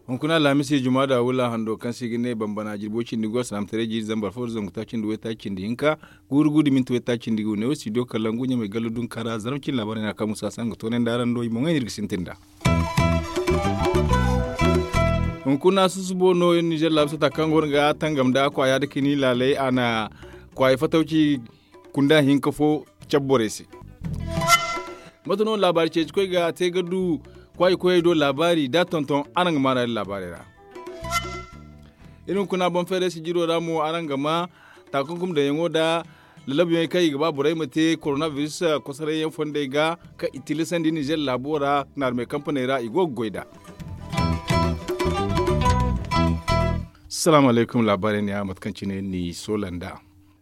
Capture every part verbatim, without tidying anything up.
Hunkuna alhamisi juma da wula hando kaŋ se i ga ne bambana jirbo cindi go alsilaamataray jiiri zambar fo da zangu taaci nda waytaaci cindi hinka, guuru guuru da minti waytaaci cindi gu ne wo studio kalangu ɲamay gallo dunkara zarma cindi laabaarey no a kaŋ musa saŋ ga toonay nda araŋ do i boŋey no iri ga sintin nd'a. Hunkuna susubo no iri ninzeer laabu sata kaŋ go no ga tangam nda kwaaya nda kini laaley a na kwaaya fatawci kunda hinka fo cabe borey se. Mate no laabaari ceeci koy ga te ga du kwaayi koyey do laabaari da tonton araŋ ga maana din laabaarey ra. Iri hunkuna boŋ feeray sijiro ra mo araŋ ga ma taakunkum daŋyaŋo nda lalabuyaŋey kaŋ i ga ba borey ma te koronabiris kosoray yaŋ fondey ga kaŋ i tilasandi ninzeer laabo ra naarumey kampaney ra i go ga goy nd'a. Salaamu alaykum laabaarey ne a mate kaŋ cine ni soola nd'a.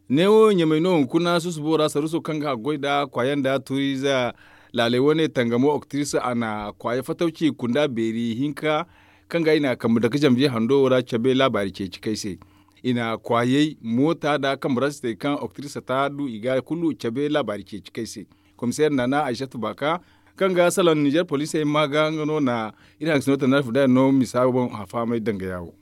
Neewo ɲamay no hunkuna susubo ra saruuso kaŋ ga haggoy nda kwaaya nda tuuriize laaley wane tangamo oktiris a na kwaaya fatawci kunda beeri hinka kaŋ ga i na kambe dake zanbiye hando wo ra cabe laabaari ceeci kay se. I na kwaayey moota nda kambe ra sitey kaŋ oktiris ta du i ga kulu cabe laabaari ceeci kay se. Komiseer nana aysatu baaka kaŋ ga salaŋ ninzeer poliisey ma ga nga no na iri hangasino tana alfudaya no misa boŋ a fahamay danga yaawo.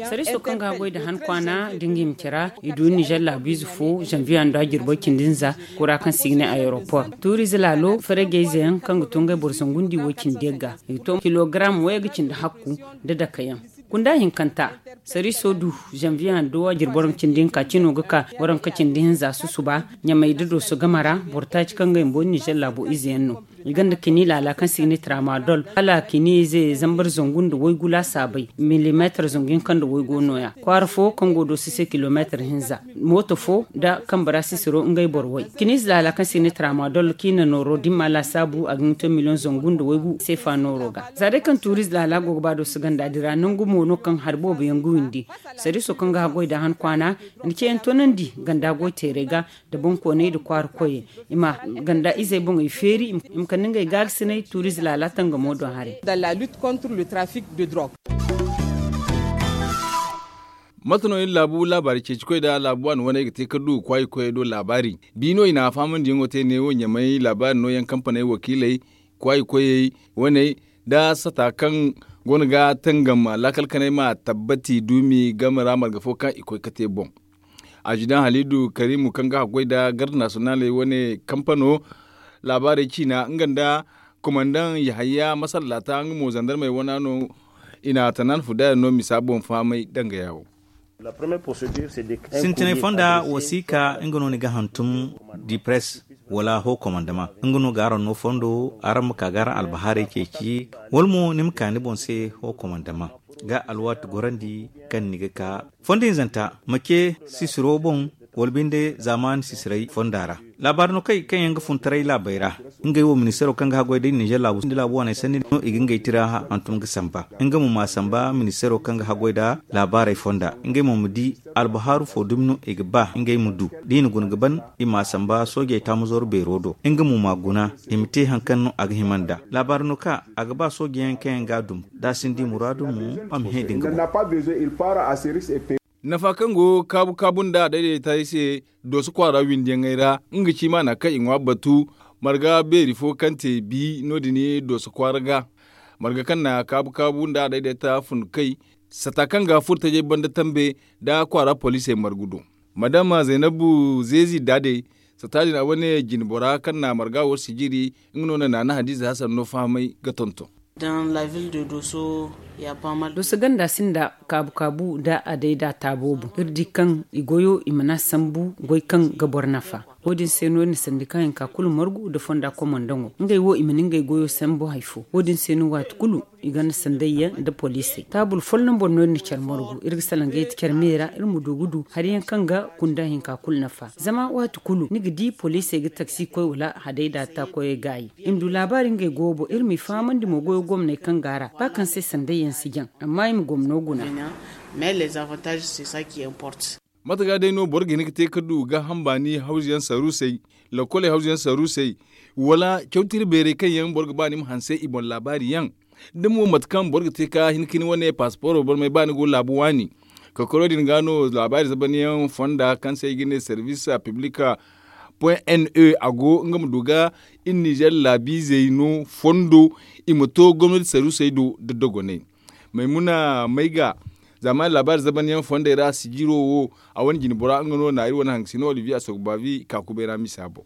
Sariiso kaŋ ga goy nda han kwaana da nga hima care ra i du ninzeer laabiize fo zanviye handu a jirbo cindi nza kura kaŋ se i ga ne ayeropor tuuriize laalo faragayze yaŋ kaŋ ga to ngey boro zangu nda i wo cindi yagga i ga to kilogaram wayga cindi hakku nda dake yaŋ. Kunda hinkanta sariiso du zanviye handu a jirbo raŋ cindi hinka cino ga ka waranka cindi hinza susuba ɲamay da dooso game ra boro taaci kaŋ ga hima boori ninzeer laabo ize yaŋ no. I gonda kini laala kaŋ se i ga ne tramadol hala kini ize zambar zangu nda waygu laasaabey milimeetar zangu hinka nda waygu nooya kwaara fo kaŋ go dooso se kilomeetar hinza mooto fo nda kambe ra sisiro ngey boro way kini ize laala kaŋ se i ga ne tramadol kaŋ i na nooro dimma laasaabu a ga hin ga to miliyoŋ zangu nda waygu seefa nooro ga. Za day kaŋ tuuriize laala go ga ba dooso ganda din ra nangu mo no kaŋ hari boobo yaŋ ga windi. Sariiso kaŋ ga haggoy nda han kwaana i na ceeyaŋ toonandi ganda goy teerey ga nda boŋkooney nda kwaara koyey i ma ganda izey boŋey feeri i ma kande ngey gaagasinay tuuriize laala tangamo do haray. Mate no iri laabu laabaari ceeci koy nda laabu waani waney ga te ka du kwaayi koyey do laabaari? Bi no i na a fahamandiyaŋo te neewo ɲamay laabaari nooyaŋ kampaney wakiiley kwaayi koyey waney nda sata kaŋ go no ga tangam laakal kanay ma tabbati duumi game ra marga fo kaŋ i koy ka te boŋ. Azidaŋ haliidu kariimu kaŋ ga haggoy nda garda nasiyonaaley wane kampano laabaarey ciina nga nda komandaŋ yahaya masallaata nga mo zandarmey wana no. I na tanaana fudayaŋ no misa boŋ fahamay danga yaawo. Sintinay fonda wasiika nga no ni ga hantum dipres wala ho komandama nga no ga araŋ no fondo araŋ ma ka ga araŋ albahaarey ceeci wala mo ni ma ka ni boŋ se ho komandama ga alwaati gorandi kaŋ ni ga ka fondo hinzanta ma ce sisiro boŋ wala binde zaamaani sisiray fonda ra. Laabaari no kay kaŋ yaŋ ga fun taray laabey ra ngey wo ministeero kaŋ ga haggoy day ninzeer laabu sinda laabu waaney sanni no i ga ngey tira hantum ga samba nga mo ma samba ministeero kaŋ ga haggoy nda laabaarey fonda ngey mo ma di albahaaru fo dumi no i ga ba ngey ma du da i na guna ga ban i ma samba soojey taamazoro beero do nga mo ma guna i ma te hari kaŋ no a ga hima nd'a laabaari no kaŋ a ga ba soojeyaŋ kaŋ yaŋ ga a dum da a sinda i muraadu mo a ma hẽ da nga boŋ. Nafa kaŋ go kaabu kaabu nda a daydayti se dooso kwaara windiyaŋey ra nga ci maana kaŋ i ŋwa batu marga beeri fo kaŋ te bi no- din dooso kwaara ga marga kaŋ na kaabu kaabu nda a daydayti fun kay sata kaŋ ga furo tajay banda tambe nda kwaara poliisey margu do. Madama zaynabu zeezi daadey sata din a wane jine bora kaŋ na marga wo sijiri nga no na naana hadiza hasan no fahamay ga tonton. Dooso ganda sinda kaabu kaabu nda a day da taabo boŋ iri di kaŋ i goyo i mana sambu goy kaŋ ga boro nafa. Wo- din se no iri na sandika hinka kulu margu nda fonda komandaŋo ngey wo i mana ngey goyo sambu hari fo wo- din se no waati kulu i gonda sandayyaŋ nda poliisey taabul folloŋ boŋ no iri na care margu iri ga salaŋ ga yeti care me ra iri ma du ga du hari yaŋ kaŋ ga kunda hinka kulu nafa zama waati kulu ni ga di poliisey ga taksi koy wala hadayda ta koyey gaayi. I ma du laabaari ngey goyo boŋ iri m'i fahamandi mo goyo gomney kaŋ go a ra ba kaŋ se sandayyaŋ si jaŋ amma i ma gomno guna. Mate ga day no boro ga hin ga te ga du gaaham baani hawzuyaŋ saruusey, lakoley hawzuyaŋ saruusey, wala cawtiri beerey kaŋ yaŋ boro ga ba ni ma hanse i boŋ laabaari yaŋ? Da mo mate kaŋ boro ga te ga hin ga ni wane paasiporo barmay ba ni go laabu waani Kokoro din ga no laabaari zabanyaŋ fonda kaŋ se i ga ne service public point ne a go nga ma du ga iri nizer laabiizey no fondo i ma to gomnati saruusey do da dogonay. Maymuna may ga zaamaani laabaari zabanyaŋ fondey ra sijiro wo a wane jinbora nga no na iri wane haŋ ga si no olivier asogbavi ka kubay ra misa boŋ.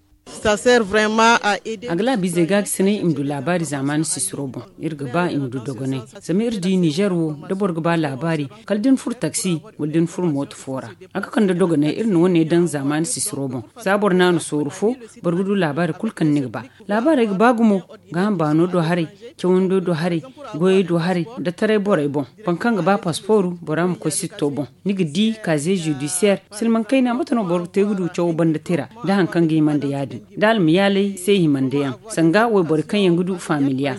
A ga laabiizey ga ga sinay i ma du laabaari zaamaani sisiro boŋ. Iri ga ba i ma du dogonay zama iri di nizer wo da boro ga ba laabaari kala da ni furo taksi wala da ni furo mooto fo ra. A ga kande dogonay iri na wane daŋ zaamaani sisiro boŋ. Za boro naanu sooru fo boro ga du laabaari kulu kaŋ ni ga ba. Laabaarey ga ba gumo. Gaaham baano do haray, cawando do haray, goyey do haray, da taray borey boŋ. Boro kaŋ ga ba paspooru bora ma koy sitto boŋ. Ni ga di kaaze zudisiyeer silmaŋ kayna mate no boro ga te ga du cawo banda tira da hari kaŋ ga himandi ya- din da almayaaley se himandi yaŋ sanga wayborey kaŋ yaŋ ga du faamiliya.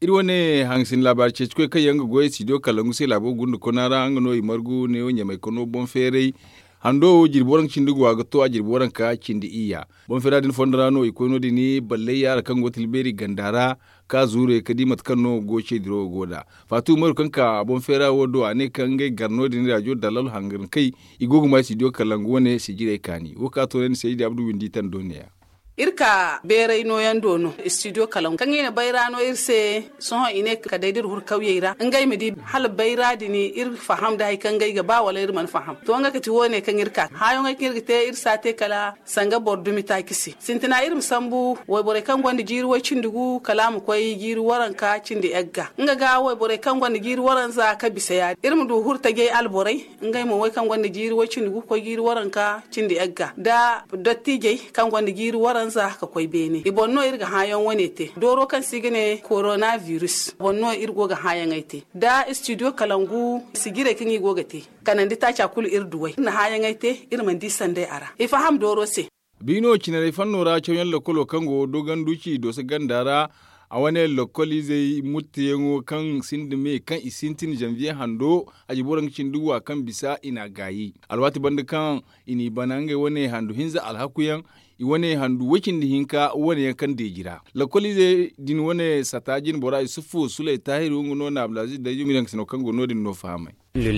Iri wane hangasin laabaari ceeci koy kaŋ yaŋ ga goy studio kalangu se laabo gunda kona ra nga no i margu neewo ɲamay kano boŋ feeray. Hando wo jirbi waranka cindi go a ga to a jirbi waranka cindi iyya. Boŋ feera din fondo ra no i koy no- din ballay yaara kaŋ go tilbeeri ganda ra ka zuure ka di mate kaŋ no go ceediro go nd'a. Faatu umaru kaŋ ka boŋ feera wo do a ne kaŋ ngey gar no- din raajo dalal hangankey i go ga ma studio kalangu wane sijirey kaani wo ka to ne ni se i di abdu windi tando neeya. Iri ka beeray nooyaŋ do no studio kalaŋ kaŋ i na bayra no iri se. Sohõ i ne ka day da iri huru kawyey ra ngey ma di hala bayra din iri faham nda hari kaŋ ngey ga ba wala iri mana faham to nga kati wo- ne kaŋ iri ka haayaŋey kaŋ iri ga te iri si a te kala sanga boro dumi taaci se sintina iri ma sambu wayborey kaŋ gonda jiiri way-cindi gu kala a ma koy jiiri waranka cindi yagga nga ga wayborey kaŋ gonda jiiri waranza ka bisa ya- din iri ma du huru tajey alborey ngey mo wey kaŋ gonda jiiri way-cindi gu ga koy jiiri waranka cindi yagga nda dottijey kaŋ gonda jiiri waranza ka koy beene i boŋ no iri ga hããyaŋ wane te dooro kaŋ se i ga ne korona virus boŋ no iri go ga hããyaŋey te nda studio kalangu sijirey kaŋ i go ga te kanandi taaca kulu iri duw'ey iri na hããyaŋey te iri mana di sanday a ra i faham dooro se. Biino cinarey fanno ra cawyaŋ lakkolo kaŋ go dooganduci dooso ganda ra a wane lakkol izey mutteyaŋo kaŋ sinda me kaŋ i sintin zanviye hando a jirbi waranka cindi wa kaŋ bisa i n'a gaayi alwaati banda kaŋ i n'i bana ngey wane handu hinza alhakuyaŋ i wane handu way-cindi hinka wane yaŋ kaŋ deeji ra. Lakkol ize din wane sata jinbora isufu suley taahiru nga no na abdulaziz dayjo nga daŋ ga sino kaŋ go no- din no fahamay. Atir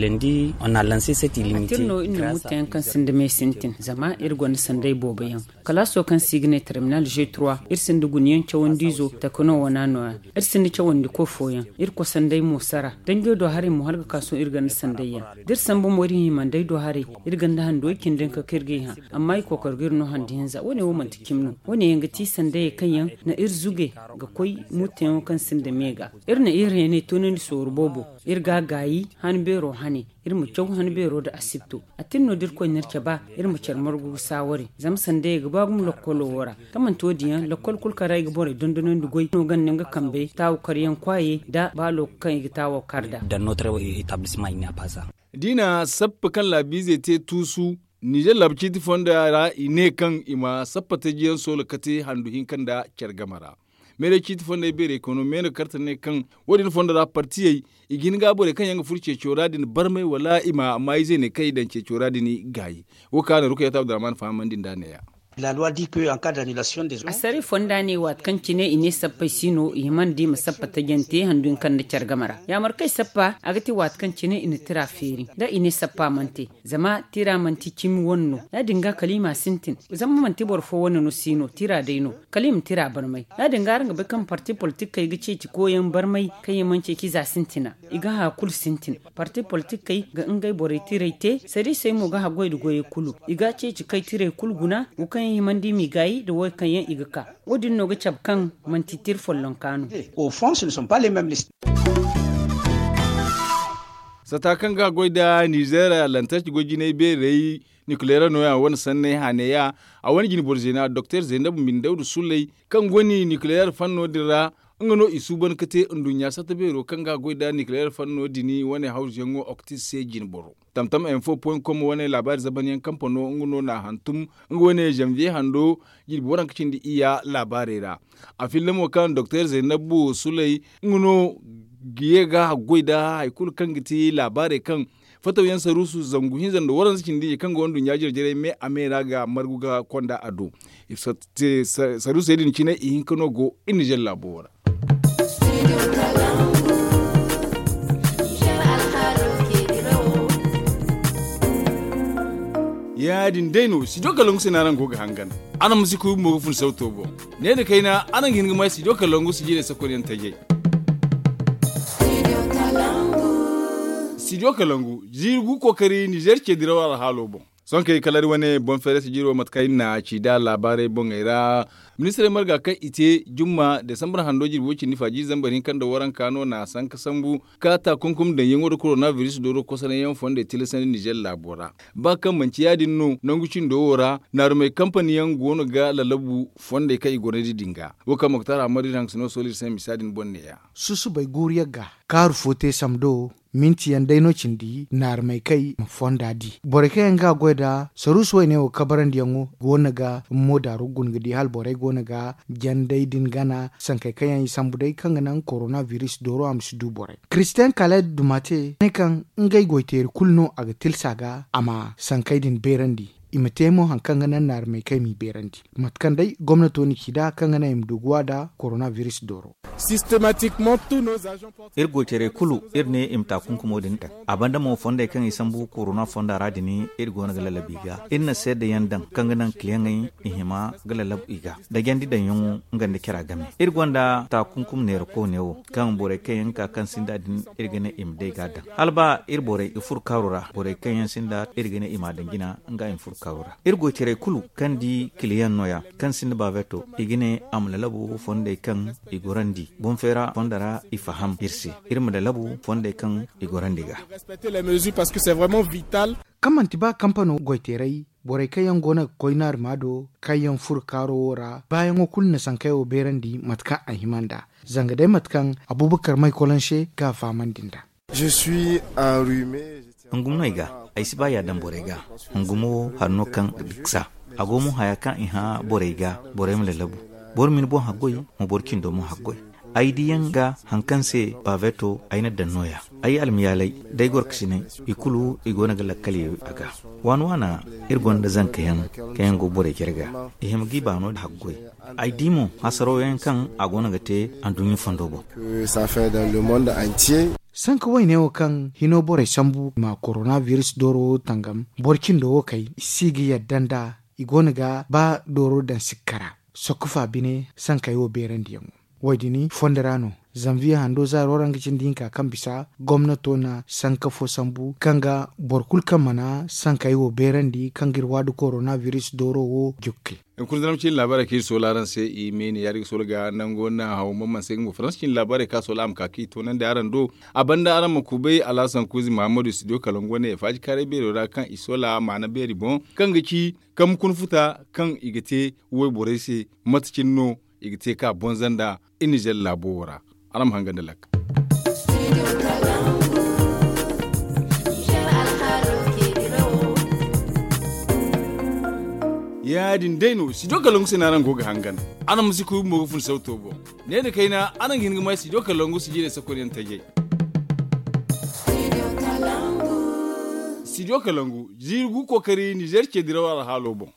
no iri na mutteyaŋ kaŋ sinda me sintin zama iri gonda sanday boobo yaŋ kalaaso kaŋ se i ga ne terminal g trois iri sinda gunayaŋ cawandiizo tekno wana nooya. Iri sinda cawandiko fooyaŋ iri kosanday mo sara danjo do haray mo hala ga ka sohõ iri ganda sanday yaŋ da iri sambu mo iri himandey do haray iri ganda handuwey cindi hinka kaŋ iri g'ey hã. Amma i kookor ga iri no handi hinza wo- ne wo manti cimi no wo- ne yaŋ ga ti sandayey kaŋ yaŋ na iri zuge ga koy mutteyaŋo kaŋ sinda me ga. Iri na iri heeney toonandi sooru boobo iri ga a gaayi han beero hane iri ma caw han beero nda asibto. Atin no da irkoy na iri caba iri ma care margu ga saaware zama sandayey ga ba gumo lokkolo wo ra. Kaŋ manti wo- din yaŋ lokkol kulu kaŋ ra i ga borey dondonandi goy no ganda nga kambey taawu karyaŋ kwaayey nda baalo kaŋ i ga taawo kar nd'a. Diina sappa kaŋ laabiizey te tuusu nizer laabu ciiti fonda ra i ne kaŋ i ma sappa taji yaŋ soola kate handu hinka nda care game ra. Meeray ciiti fondey beerey koy no meeno karte ne kaŋ wo- din fondo ra partiyey i ga hin ga borey kaŋ yaŋ ga furo ceeco ra din barmay wala i ma maayizey ne kaŋ i daŋ ceeco ra din gaayi. Wo kaŋ a na rukayatu abdurrahman fahamandi nd'a neeya. Assaray fonda ne waati kaŋ cine i ne sappey si no i hima nda i ma sappa tajante handu hinka nda care game ra yaamar kaŋ i sappa a ga te waati kaŋ cine i na tira feeri da i ne sappa mana te. Zama tira manti cimi wane no ya- din ga kala i ma sintin. Zama manti boro fo wane no si no tira day no kala i ma tira barmay ya- din ga araŋ ga bay kaŋ parti politikey ga ceeci koyaŋ barmay kaŋ yaŋ mana ceeci za sintina. I ga haya kulu sintin. Parti politikey ga ngey borey tirey te sariisey mo ga haggoy nda goyey kulu i ga ceeci kay tirey kulu guna wo kaŋ yaŋ himandi i m'i gaayi nda wo kaŋ yaŋ i ga ka. Wo- din no ga cabe kaŋ manti tira follonka no. Sata kaŋ ga goy nda nizer lantarki goy jinay beerey nukuleer nooya wane sanney haaneya. A wane jinboro zeena doktor zeenab mbindawda suley kaŋ go ni nukuleer fanno din ra nga no i suuban ga te nduɲɲa sata beero kaŋ ga goy nda nukuleer fanno din wane hawzuyaŋo oktis se jinboro. Tamtam info point com wane laabaari zabanyaŋ kampano nga no na a hantum nga wane zanviye hando jirbi waranka cindi iyya laabaarey ra. A fillamo kaŋ doktor zeenab suley nga no ga ye ga haggoy nda hari kulu kaŋ ga ti laabaarey kaŋ fatawyaŋ saruusu zangu hinza nda waranza cindi kaŋ go nduɲɲa jare-jarey me a me ra ga margu ga konda a do. Saruusey din cine i hinka no go iri nizer laabo wo ra. Ya- din day no studio kalangu se no araŋ go ga hangan. Araŋ ma si kuy bumbo ga fun sauto boŋ. Ne nda kayna araŋ ga hin ga may studio kalangu sijirey sakonyaŋ tajey. Studio kalangu ziiri gu kookari nizeer ce diraw alhaalo boŋ. Sohõ kay kala iri wane boŋ feeray sijiro mate kaŋ iri na a ci nd'a laabaarey boŋey ra. Ministirey marga kaŋ i te jumma desambar hando jirbi way cindi faaji zambar hinka nda waranka no na a sanka sambu ka taakunkum daŋyaŋo nda korona biris dooro kosonayaŋ fondey tilasandi nizeer laabo ra. Ba kaŋ manti ya- din no nangu cindo wo ra naarumey kampani yaŋ go no ga lalabu fondey kaŋ i gorandi din ga. Wo kaŋ moktar ammar iri hangasino sohõ iri se misa din boŋ ne- ya. Susubay guuru yaŋ ga kaaru fo te samdo minti yaŋ day no cindi naarumey kaŋ i ma fonda di borey kaŋ yaŋ ga a goy nda saruusu wayne wo kabarandiyaŋo go no ga moodaaro guna ga di hala borey go no ga jandey din gana sankey kaŋ yaŋ i sambu day kaŋ ga naŋ korona biris dooro a ma si du borey. Kiristiyaŋ kala dumate ne kaŋ ngey goyteeri kulu no a ga tilsa ga a ma sankey din beerandi. I ma te mo hari kaŋ ga naŋ naarumey kaŋ i m'i beerandi mate kaŋ day gomnato na ci nd'a kaŋ ga naŋ i ma du ga wa nda korona biris dooro. Iri goytaray kulu iri ne i ma taakunkumo din daŋ. A banda mo fondey kaŋ i sambu korona fonda ra din iri go no ga lalabu i ga. Iri na seedayaŋ daŋ kaŋ ga naŋ kiliyaŋey i hima ga lalabu i ga da jandi daŋyaŋo nga nda cara game. Iri gonda taakunkum neera koone wo kaŋ borey kaŋ yaŋ ga ka kaŋ sinda din iri ga ne i ma day ga a daŋ hala ba iri borey i furo kaaro ra borey kaŋ yaŋ sinda iri ga ne i m'a daŋ jina nga i ma furo kaaro ra. Iri goytaray kulu kaŋ di kiliyaŋ no- ya kaŋ sinda baabeeto i ga ne a ma lalabu fondey kaŋ i gorandi boŋ feera fondo ra i faham iri se. Iri ma lalabu fondey kaŋ i gorandi ga. Kaŋ manti ba kampano goyteeray borey kaŋ yaŋ go no ga koy naaruma do kaŋ yaŋ furo kaaro wo ra baayaŋo kulu na sankey wo beerandi mate kaŋ a hima nd'a. Zanga day mate kaŋ abubakar may kolonse ga a fahamandi nd'a. Hungum no ay ga. Ay si ba yaadaŋ borey ga. Hungumo wo hari no kaŋ ga diksa a go mo haya kaŋ i hã borey ga. Borey ma lalabu boro ma ni boŋ haggoy ma boro cindo mo haggoy. Ay diyaŋ ga hari kaŋ se baaveto ay na daŋ no- ya. Ay almayaalay da ay gorkasiney i kulu i go no ga lakkal ye a ga. Waana waana iri gonda zanka yaŋ kaŋ yaŋ go borey care ga. I hima ga i baano haggoy. Ay di mo hasaraw yaŋ kaŋ a go no ga te anduɲɲa fondo boŋ. Sanka wayne wo kaŋ hino borey sambu ma korona biris dooro wo tangam boro cindo wo kay i si ga yadda nd'a. I go no ga ba dooro daŋ sikka ra sokko fa bine sankey wo beerandiyaŋo. Wo- din fondo ra no zanviye hando zaaro ra nga cindi hinka kaŋ bisa gomnato na sanka fo sambu kaŋ ga boro kulu kaŋ mana sankey wo beerandi kaŋ ga iri waadu korona biris dooro wo jukke. Hunkuna zama cine laabaarey kaŋ iri soola araŋ se i me ne ya- din ga soola ga nango na haw mamman se ga mo faransa cine laabaarey kaŋ a soola a ma ka kaŋ i toonandi araŋ do. A banda araŋ ma kubay alhasan kuuzi muhammadu studio kalangu wane faaji kaaray beero ra kaŋ i soola maana beeri boŋ kaŋ ga ci kambe kuna futa kaŋ i ga te wayborey se mate cine no i ga te ka bonza nda i nizer laabo wo ra. Araŋ ma hanga nda lakka. Ya- din day no studio kalangu se no araŋ go ga hangan. Araŋ ma si kuy bumbo ga fun sauto boŋ. Ne nda kayna araŋ ga hin ga may studio kalangu sijirey sakonyaŋ tajey. Studio kalangu ziiri gu kookari nizer ce diraw alhaalo boŋ.